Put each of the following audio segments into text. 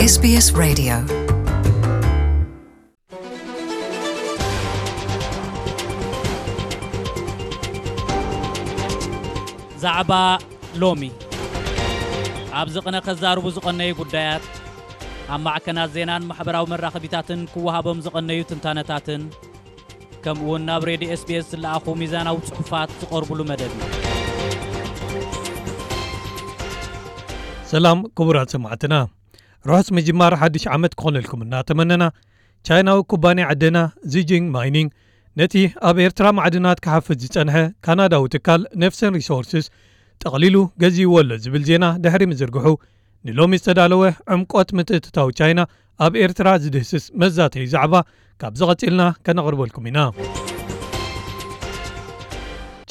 SBS Radio. ዛዕባ ሎሚ። ኣብዚ ቅነ ከዛርቡ ዝቐነዩ ጉዳያት፣ ኣብ ማዕከናት ዜናን ማሕበራዊ መራኸቢታትን ክወሃቦም ዝቐነዩ ትንታነታትን፣ ከምኡ እውን ናብ ሬድዮ ኤስቢኤስ ዝለኣኹ ሚዛናዊ ጽሑፋት ዝቐርቡሉ መደብ እዩ። ሰላም ክቡራት ሰማዕትና፣ ርሑስ ምጅማር ሓድሽ ዓመት ክኾነልኩም እናተመነና፣ ቻይናዊ ኩባንያ ዕደና ዚጂንግ ማይኒንግ ነቲ ኣብ ኤርትራ ማዕድናት ክሓፍስ ዝጸንሐ ካናዳዊ ትካል ኔፍሰን ሪሶርስስ ጠቕሊሉ ገዚእዎ ኣሎ ዝብል ዜና ድሕሪ ምዝርግሑ፣ ንሎሚ ዝተዳለወ ዕምቆት ምትእትታው ቻይና ኣብ ኤርትራ ዝድህስስ መዛተዪ ዛዕባ ካብዚ ቀጺልና ከነቕርበልኩም ኢና።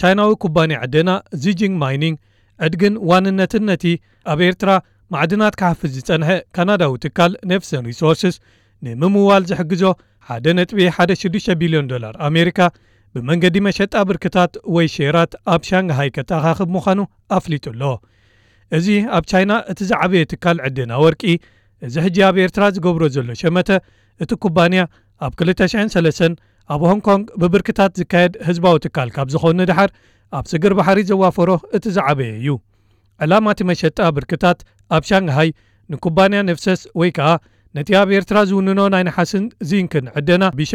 ቻይናዊ ኩባንያ ዕደና ዚጂንግ ማይኒንግ ዕድግን ዋንነትን ነቲ ኣብ ኤርትራ ማዕድናት ክሓፍስ ዝጸንሐ ካናዳዊ ትካል ኔፍሰን ሪሶርስስ ንምምዋል ዝሕግዞ ሓደ ነጥቢ ሓደ ሽዱሽተ ቢልዮን ዶላር ኣሜሪካ ብመንገዲ መሸጣ ብርክታት ወይ ሼራት ኣብ ሻንግሃይ ከተኻኽብ ምዃኑ ኣፍሊጡ ኣሎ። እዚ ኣብ ቻይና እቲ ዝዓበየ ትካል ዕደና ወርቂ፣ እዚ ሕጂ ኣብ ኤርትራ ዝገብሮ ዘሎ ሸመተ፣ እቲ ኩባንያ ኣብ ክልተ ሽሕን ሰለስተን ኣብ ሆንግ ኮንግ ብብርክታት ዝካየድ ህዝባዊ ትካል ካብ ዝኾነ ድሓር፣ ኣብ ስግር ባሕሪ ዘዋፈሮ እቲ ዝዓበየ እዩ። ዕላማ እቲ መሸጣ ብርክታት ኣብ ሻንግሃይ ንኩባንያ ነፍሰስ ወይ ከኣ ነቲ ኣብ ኤርትራ ዝውንኖ ናይ ነሓስን ዚንክን ዕደና ቢሻ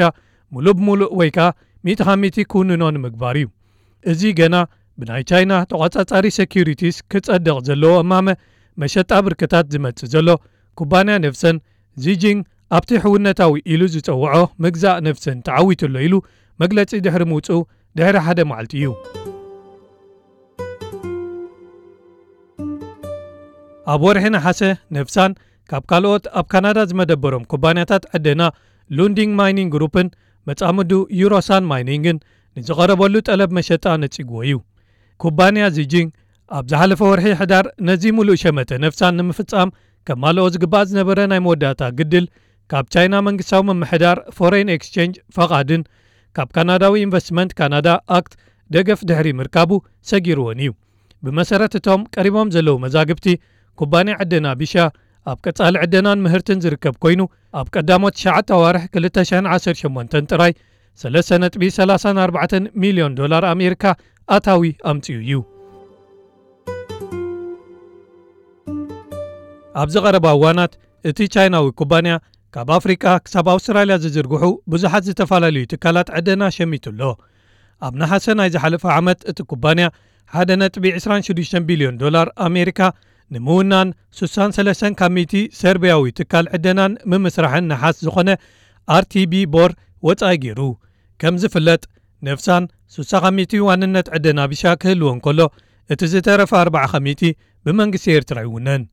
ሙሉእ ብሙሉእ ወይ ከኣ ሚእቲ ካብ ሚእቲ ክውንኖ ንምግባር እዩ። እዚ ገና ብናይ ቻይና ተቖጻጻሪ ሴኩሪቲስ ክጸድቕ ዘለዎ እማመ መሸጣ ብርክታት ዝመጽእ ዘሎ፣ ኩባንያ ነፍሰን ዚጂንግ ኣብቲ ሕውነታዊ ኢሉ ዝጸውዖ ምግዛእ ነፍሰን ተዓዊቱ ኣሎ ኢሉ መግለጺ ድሕሪ ምውጽኡ ድሕሪ ሓደ መዓልቲ እዩ። ኣብ ወርሒ ነሓሰ ነፍሳን ካብ ካልኦት ኣብ ካናዳ ዝመደበሮም ኩባንያታት ዕደና ሉንዲንግ ማይኒንግ ግሩፕን መጻምዱ ዩሮሳን ማይኒንግን ንዝቐረበሉ ጠለብ መሸጣ ነጺግዎ እዩ። ኩባንያ ዚጂንግ ኣብ ዝሓለፈ ወርሒ ሕዳር ነዚ ሙሉእ ሸመተ ነፍሳን ንምፍጻም ከማልኦ ዝግባእ ዝነበረ ናይ መወዳእታ ግድል ካብ ቻይና መንግስታዊ ምምሕዳር ፎሬን ኤክስቼንጅ ፈቓድን ካብ ካናዳዊ ኢንቨስትመንት ካናዳ ኣክት ደገፍ ድሕሪ ምርካቡ ሰጊርዎን እዩ። ብመሰረት እቶም ቀሪቦም ዘለዉ መዛግብቲ፣ ኩባንያ ዕደና ቢሻ ኣብ ቀጻሊ ዕደናን ምህርትን ዝርከብ ኮይኑ፣ ኣብ ቀዳሞት ትሽዓተ ኣዋርሕ ክልተ ሽሕን ዓሰርተ ሸሞንተን ጥራይ ሰለስተ ነጥቢ ሰላሳን ኣርባዕተን ሚልዮን ዶላር ኣሜሪካ ኣታዊ ኣምጺኡ እዩ። ኣብዚ ቀረባ እዋናት እቲ ቻይናዊ ኩባንያ ካብ ኣፍሪቃ ክሳብ ኣውስትራልያ ዝዝርግሑ ብዙሓት ዝተፈላለዩ ትካላት ዕደና ሸሚቱ ኣሎ። ኣብ ነሓሰ ናይ ዝሓለፈ ዓመት እቲ ኩባንያ ሓደ ነጥቢ ዕስራን ሽዱሽተን ቢልዮን ዶላር ኣሜሪካ ንምውናን ሱሳን ሰለስተን ካብ ሚእቲ ሰርቢያዊ ትካል ዕደናን ምምስራሕን ነሓስ ዝኾነ ኣርቲቢ ቦር ወጻኢ ገይሩ። ከም ዝፍለጥ ነፍሳን ሱሳ ካብ ሚእቲ ዋንነት ዕደና ቢሻ ክህልዎ እንከሎ፣ እቲ ዝተረፈ ኣርባዓ ካብ ሚእቲ ብመንግስቲ ኤርትራ ይውነን።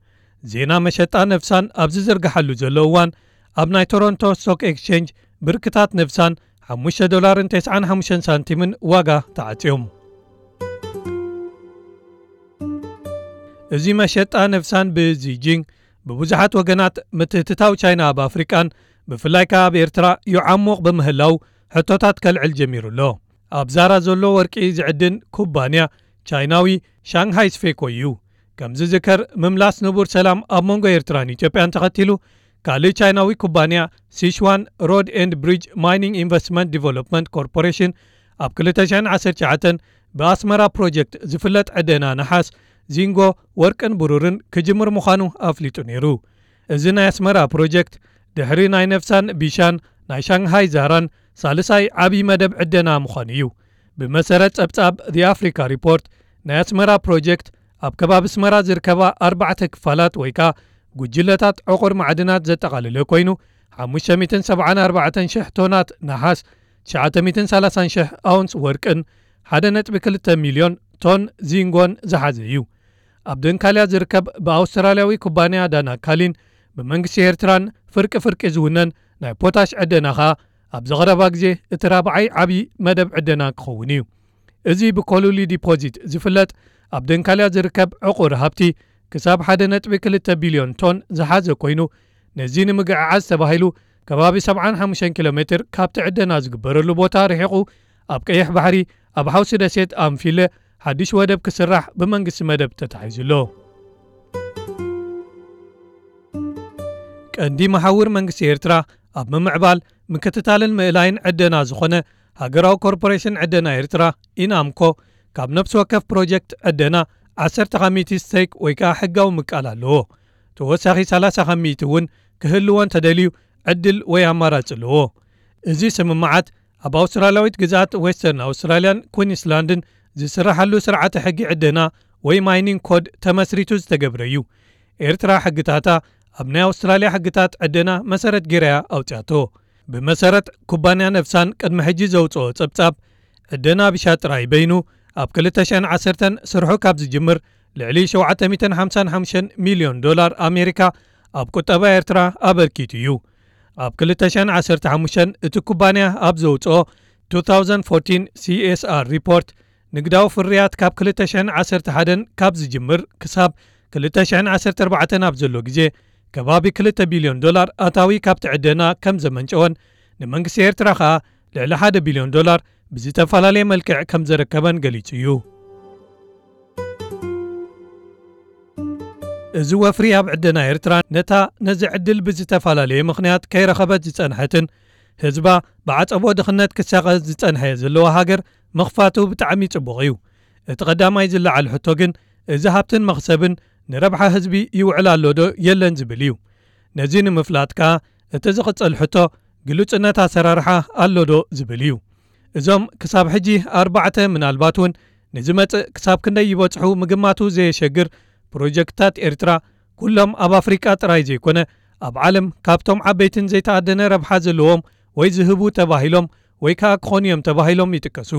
ዜና መሸጣ ነፍሳን ኣብ ዝዝርግሓሉ ዘሎ እዋን ኣብ ናይ ቶሮንቶ ስቶክ ኤክስቼንጅ ብርክታት ነፍሳን ሓሙሽተ ዶላርን ተስዓን ሓሙሽተን ሳንቲምን ዋጋ ተዓጽዮም። እዚ መሸጣ ነፍሳን ብዚጂንግ ብብዙሓት ወገናት ምትእትታው ቻይና ኣብ ኣፍሪቃን ብፍላይ ከኣ ኣብ ኤርትራ ይዓሙቕ ብምህላው ሕቶታት ከልዕል ጀሚሩ ኣሎ። ኣብ ዛራ ዘሎ ወርቂ ዝዕድን ኩባንያ ቻይናዊ ሻንግሃይ ስፌኮ እዩ። ከም ዝዝከር ምምላስ ንቡር ሰላም ኣብ መንጎ ኤርትራን ኢትዮጵያን ተኸቲሉ ካልእ ቻይናዊ ኩባንያ ሲሽዋን ሮድ ኤንድ ብሪጅ ማይኒንግ ኢንቨስትመንት ዲቨሎፕመንት ኮርፖሬሽን ኣብ ክልተ ሽሕን ዓሰርተ ትሽዓተን ብኣስመራ ፕሮጀክት ዝፍለጥ ዕደና ነሓስ፣ ዚንጎ፣ ወርቅን ብሩርን ክጅምር ምዃኑ ኣፍሊጡ ነይሩ። እዚ ናይ ኣስመራ ፕሮጀክት ድሕሪ ናይ ነፍሳን ቢሻን ናይ ሻንግሃይ ዛራን ሳልሳይ ዓብዪ መደብ ዕደና ምዃኑ እዩ። ብመሰረት ጸብጻብ The Africa Report ናይ ኣስመራ ፕሮጀክት ኣብ ከባቢ ኣስመራ ዝርከባ ኣርባዕተ ክፋላት ወይ ከኣ ጉጅለታት ዕቑር ማዕድናት ዘጠቓለለ ኮይኑ፣ ሓሙሽተ ሚእትን ሰብዓን ኣርባዕተን ሽሕ ቶናት ነሓስ፣ ትሽዓተ ሚእትን ሰላሳን ሽሕ ኣውንስ ወርቅን ሓደ ነጥቢ ክልተ ሚልዮን ቶን ዚንጎን ዝሓዘ እዩ። ኣብ ደንካልያ ዝርከብ ብኣውስትራልያዊ ኩባንያ ዳና ካሊን ብመንግስቲ ኤርትራን ፍርቂ ፍርቂ ዝውነን ናይ ፖታሽ ዕደና ኸኣ ኣብዚ ቐረባ ግዜ እቲ ራብዓይ ዓብዪ መደብ ዕደና ክኸውን እዩ። እዚ ብኮሉሊ ዲፖዚት ዝፍለጥ ኣብ ደንካልያ ዝርከብ ዕቑር ሃብቲ ክሳብ ሓደ ነጥቢ ክልተ ቢልዮን ቶን ዝሓዘ ኮይኑ፣ ነዚ ንምግዕዓዝ ተባሂሉ ከባቢ ሰብዓን ሓሙሽተን ኪሎ ሜትር ካብቲ ዕደና ዝግበረሉ ቦታ ርሒቑ ኣብ ቀይሕ ባሕሪ ኣብ ሓውሲ ደሴት ኣንፊለ ሓድሽ ወደብ ክስራሕ ብመንግስቲ መደብ ተታሒዙ ኣሎ። ቀንዲ መሓውር መንግስቲ ኤርትራ ኣብ ምምዕባል፣ ምክትታልን ምእላይን ዕደና ዝኾነ ሃገራዊ ኮርፖሬሽን ዕደና ኤርትራ፣ ኢናምኮ፣ ካብ ነፍሲ ወከፍ ፕሮጀክት ዕደና ዓሰርተ ካብ ሚእቲ ስቴክ ወይ ከኣ ሕጋዊ ምቃል ኣለዎ። ተወሳኺ ሰላሳ ካብ ሚእቲ እውን ክህልዎ እንተደልዩ ዕድል ወይ ኣማራጺ ኣለዎ። እዚ ስምምዓት ኣብ ኣውስትራልያዊት ግዝኣት ዌስተርን ኣውስትራልያን ኩዊንስላንድን ዝስራሓሉ ስርዓተ ሕጊ ዕደና ወይ ማይኒንግ ኮድ ተመስሪቱ ዝተገብረ እዩ። ኤርትራ ሕግታታ ኣብ ናይ ኣውስትራልያ ሕግታት ዕደና መሰረት ገይራ እያ ኣውጽኣቶ። ብመሰረት ኩባንያ ነፍሳን ቅድሚ ሕጂ ዘውጽኦ ጸብጻብ ዕደና ቢሻ ጥራይ በይኑ ኣብ ክልተ ሽሕን ዓሰርተን ስርሑ ካብ ዝጅምር ልዕሊ ሸውዓተ ሚእትን ሓምሳን ሓሙሽተን ሚልዮን ዶላር ኣሜሪካ ኣብ ቁጠባ ኤርትራ ኣበርኪቱ እዩ። ኣብ ክልተ ሽሕን ዓሰርተ ሓሙሽተን እቲ ኩባንያ ኣብ ዘውጽኦ two thousand fourteen C S R ሪፖርት ንግዳዊ ፍርያት ካብ ክልተ ሽሕን ዓሰርተ ሓደን ካብ ዝጅምር ክሳብ ክልተ ሽሕን ዓሰርተ ኣርባዕተን ኣብ ዘሎ ግዜ ከባቢ ክልተ ቢልዮን ዶላር ኣታዊ ካብቲ ዕደና ከም ዘመንጨወን ንመንግስቲ ኤርትራ ከኣ ልዕሊ ሓደ ቢልዮን ዶላር ብዝተፈላለየ መልክዕ ከም ዘረከበን ገሊጹ እዩ። እዚ ወፍሪ ኣብ ዕደና ኤርትራ ነታ ነዚ ዕድል ብዝተፈላለየ ምኽንያት ከይረኸበት ዝጸንሐትን ህዝባ ብዓጸቦ ድኽነት ክሳቐ ዝጸንሐ ዘለዋ ሃገር ምኽፋቱ ብጣዕሚ ጽቡቕ እዩ። እቲ ቀዳማይ ዝለዓል ሕቶ ግን እዚ ሃብትን መኽሰብን ንረብሓ ህዝቢ ይውዕል ኣሎ ዶ የለን ዝብል እዩ። ነዚ ንምፍላጥ ከኣ እቲ ዝቕጽል ሕቶ ግሉጽነት ኣሰራርሓ ኣሎ ዶ ዝብል እዩ። እዞም ክሳብ ሕጂ ኣርባዕተ ምናልባት እውን ንዝመጽእ ክሳብ ክንደይ ይበጽሑ ምግማቱ ዘየሸግር ፕሮጀክትታት ኤርትራ ኩሎም ኣብ ኣፍሪቃ ጥራይ ዘይኮነ ኣብ ዓለም ካብቶም ዓበይትን ዘይተኣደነ ረብሓ ዘለዎም ወይ ዝህቡ ተባሂሎም ወይ ከኣ ክኾኑ እዮም ተባሂሎም ይጥቀሱ።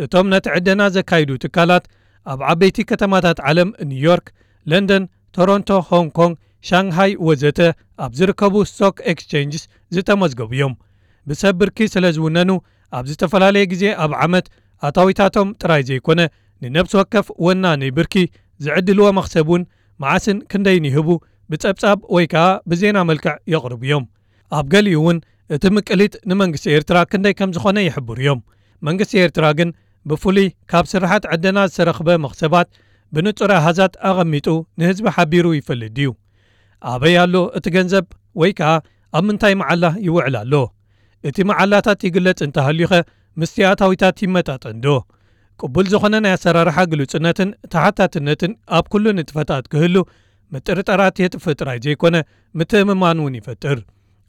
እቶም ነቲ ዕደና ዘካይዱ ትካላት ኣብ ዓበይቲ ከተማታት ዓለም ኒውዮርክ፣ ለንደን፣ ቶሮንቶ፣ ሆንግ ኮንግ፣ ሻንግሃይ ወዘተ ኣብ ዝርከቡ ስቶክ ኤክስቼንጅስ ዝተመዝገቡ እዮም። ብሰብ ብርኪ ስለ ዝውነኑ ኣብ ዝተፈላለየ ግዜ ኣብ ዓመት ኣታዊታቶም ጥራይ ዘይኮነ ንነብሲ ወከፍ ወናኒ ብርኪ ዝዕድልዎ መኽሰብ እውን መዓስን ክንደይን ይህቡ ብጸብጻብ ወይ ከኣ ብዜና መልክዕ የቕርቡ እዮም። ኣብ ገሊኡ እውን እቲ ምቅሊት ንመንግስቲ ኤርትራ ክንደይ ከም ዝኾነ ይሕብሩ እዮም። መንግስቲ ኤርትራ ግን ብፍሉይ ካብ ስራሓት ዕደና ዝተረኽበ መኽሰባት ብንጹር ኣሃዛት ኣቐሚጡ ንህዝቢ ሓቢሩ ይፈልጥ ድዩ? ኣበይ ኣሎ እቲ ገንዘብ ወይ ከኣ ኣብ ምንታይ መዓላ ይውዕል ኣሎ? እቲ መዓላታት ይግለጽ እንተሃልዩኸ ምስቲ ኣታዊታት ይመጣጠን ዶ? ቅቡል ዝኾነ ናይ ኣሰራርሓ ግሉጽነትን ተሓታትነትን ኣብ ኩሉ ንጥፈታት ክህሉ ምጥርጠራት የጥፍእ ጥራይ ዘይኮነ ምትእምማን እውን ይፈጥር።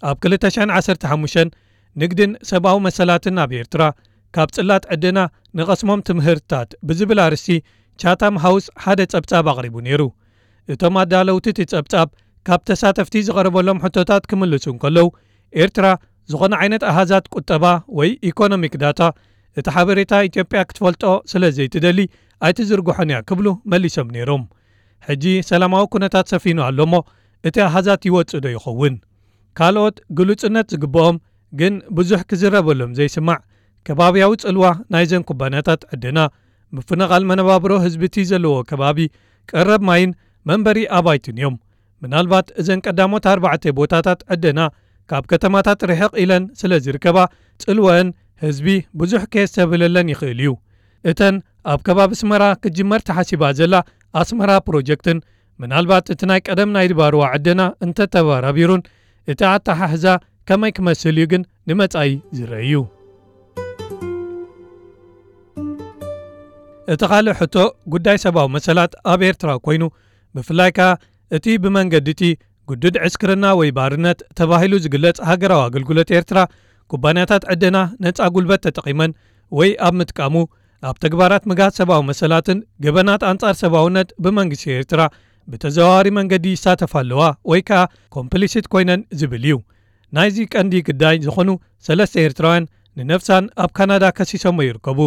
ኣብ ክልተ ሽሕን ዓሰርተ ሓሙሽተን ንግድን ሰብኣዊ መሰላትን ኣብ ኤርትራ ካብ ጽላት ዕደና ንቐስሞም ትምህርትታት ብዝብል ኣርእስቲ ቻታም ሃውስ ሓደ ጸብጻብ ኣቕሪቡ ነይሩ። እቶም ኣዳለውቲ እቲ ጸብጻብ ካብ ተሳተፍቲ ዝቐረበሎም ሕቶታት ክምልሱ እንከለዉ ኤርትራ ዝኾነ ዓይነት ኣሃዛት ቁጠባ ወይ ኢኮኖሚክ ዳታ እቲ ሓበሬታ ኢትዮጵያ ክትፈልጦ ስለ ዘይትደሊ ኣይትዝርግሖን እያ ክብሉ መሊሶም ነይሮም። ሕጂ ሰላማዊ ኩነታት ሰፊኑ ኣሎ እሞ እቲ ኣሃዛት ይወጽእ ዶ ይኸውን? ካልኦት ግሉጽነት ዝግብኦም ግን ብዙሕ ክዝረበሎም ዘይስማዕ ከባብያዊ ጽልዋ ናይዘን ኩባንያታት ዕደና ምፍንቓል መነባብሮ ህዝቢ እቲ ዘለዎ ከባቢ ቀረብ ማይን መንበሪ ኣባይትን እዮም። ምናልባት እዘን ቀዳሞት ኣርባዕተ ቦታታት ዕደና ካብ ከተማታት ርሕቕ ኢለን ስለ ዝርከባ ጽልወአን ህዝቢ ብዙሕ ከየስተብህለለን ይኽእል እዩ። እተን ኣብ ከባቢ ኣስመራ ክትጅመር ተሓሲባ ዘላ ኣስመራ ፕሮጀክትን ምናልባት እቲ ናይ ቀደም ናይ ድባርዋ ዕደና እንተተባራቢሩን እቲ ኣተሓሕዛ ከመይ ክመስል እዩ ግን ንመጻኢ ዝረአ እዩ። እቲ ካልእ ሕቶ ጉዳይ ሰብኣዊ መሰላት ኣብ ኤርትራ ኮይኑ ብፍላይ ከኣ እቲ ብመንገዲ እቲ ግዱድ ዕስክርና ወይ ባርነት ተባሂሉ ዝግለጽ ሃገራዊ ኣገልግሎት ኤርትራ ኩባንያታት ዕደና ነጻ ጉልበት ተጠቒመን ወይ ኣብ ምጥቃሙ ኣብ ተግባራት ምግሃስ ሰብኣዊ መሰላትን ገበናት ኣንጻር ሰብኣውነት ብመንግስቲ ኤርትራ ብተዘዋዋሪ መንገዲ ይሳተፋ ኣለዋ ወይ ከኣ ኮምፕሊሲት ኮይነን ዝብል እዩ። ናይዚ ቀንዲ ግዳይ ዝኾኑ ሰለስተ ኤርትራውያን ንነፍሳን ኣብ ካናዳ ከሲሶሞ ይርከቡ።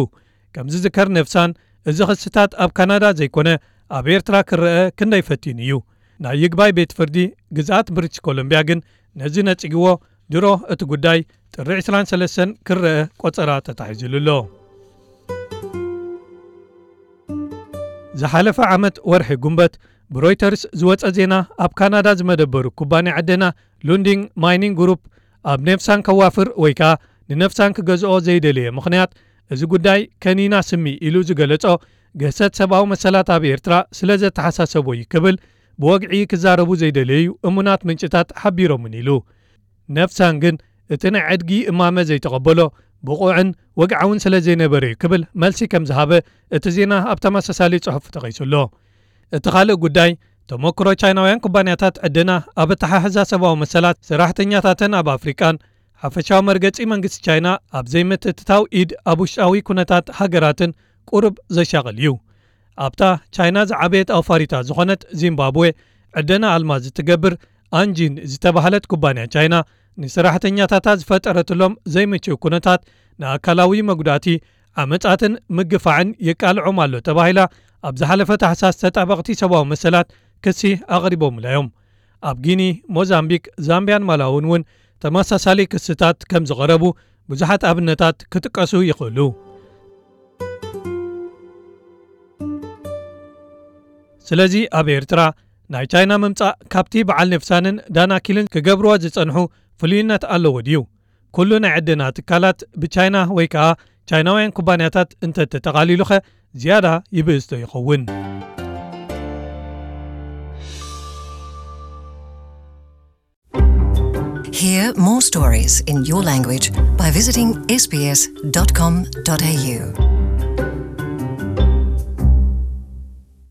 ከም ዝዝከር ነፍሳን እዚ ክስታት ኣብ ካናዳ ዘይኮነ ኣብ ኤርትራ ክረአ ክንደይ ፈቲኑ እዩ። ናይ ይግባይ ቤት ፍርዲ ግዝኣት ብሪትሽ ኮሎምቢያ ግን ነዚ ነጺግዎ ድሮ እቲ ጉዳይ ጥሪ ዕስራን ሰለስተን ክረአ ቆጸራ ተታሒዙሉ ኣሎ። ዝሓለፈ ዓመት ወርሒ ጉንበት ብሮይተርስ ዝወጸ ዜና ኣብ ካናዳ ዝመደበሩ ኩባንያ ዕደና ሉንዲንግ ማይኒንግ ግሩፕ ኣብ ነፍሳን ከዋፍር ወይ ከኣ ንነፍሳን ክገዝኦ ዘይደለየ ምኽንያት እዚ ጉዳይ ከኒና ስሚ ኢሉ ዝገለጾ ግህሰት ሰብኣዊ መሰላት ኣብ ኤርትራ ስለ ዘተሓሳሰቦ እዩ ክብል ብወግዒ ክዛረቡ ዘይደለዩ እሙናት ምንጭታት ሓቢሮምን ኢሉ። ነፍሳን ግን እቲ ናይ ዕድጊ እማመ ዘይተቐበሎ ብቑዕን ወግዓውን ስለ ዘይነበረ እዩ ክብል መልሲ ከም ዝሃበ እቲ ዜና ኣብ ተመሳሳሊ ጽሑፍ ተቐይሱ ኣሎ። እቲ ካልእ ጉዳይ፣ ተመክሮ ቻይናውያን ኩባንያታት ዕደና ኣብ ኣተሓሕዛ ሰብኣዊ መሰላት ሰራሕተኛታተን ኣብ ኣፍሪቃን ሓፈሻዊ መርገጺ መንግስቲ ቻይና ኣብ ዘይምትእትታው ኢድ ኣብ ውሽጣዊ ኩነታት ሃገራትን ቁሩብ ዘሻቕል እዩ። ኣብታ ቻይና ዝዓበየት ኣውፋሪታ ዝኾነት ዚምባብዌ፣ ዕደና ኣልማዝ እትገብር ኣንጂን ዝተባህለት ኩባንያ ቻይና፣ ንሰራሕተኛታታ ዝፈጠረትሎም ዘይምችው ኩነታት ንኣካላዊ መጉዳእቲ፣ ዓመጻትን ምግፋዕን የቃልዖም ኣሎ ተባሂላ ኣብ ዝሓለፈ ታሕሳስ ተጣበቕቲ ሰብኣዊ መሰላት ክሲ ኣቕሪቦምላ እዮም። ኣብ ጊኒ፣ ሞዛምቢክ፣ ዛምቢያን ማላውን እውን ተመሳሳሊ ክስታት ከም ዝቐረቡ ብዙሓት ኣብነታት ክጥቀሱ ይኽእሉ። ስለዚ ኣብ ኤርትራ ናይ ቻይና ምምጻእ ካብቲ በዓል ነፍሳንን ዳናኪልን ክገብርዎ ዝጸንሑ ፍሉይነት ኣለዎ ድዩ? ኩሉ ናይ ዕደና ትካላት ብቻይና ወይ ከኣ ቻይናውያን ኩባንያታት እንተተጠቓሊሉኸ ዝያዳ ይብእስቶ ይኸውን? Hear more stories in your language by visiting sbs.com.au.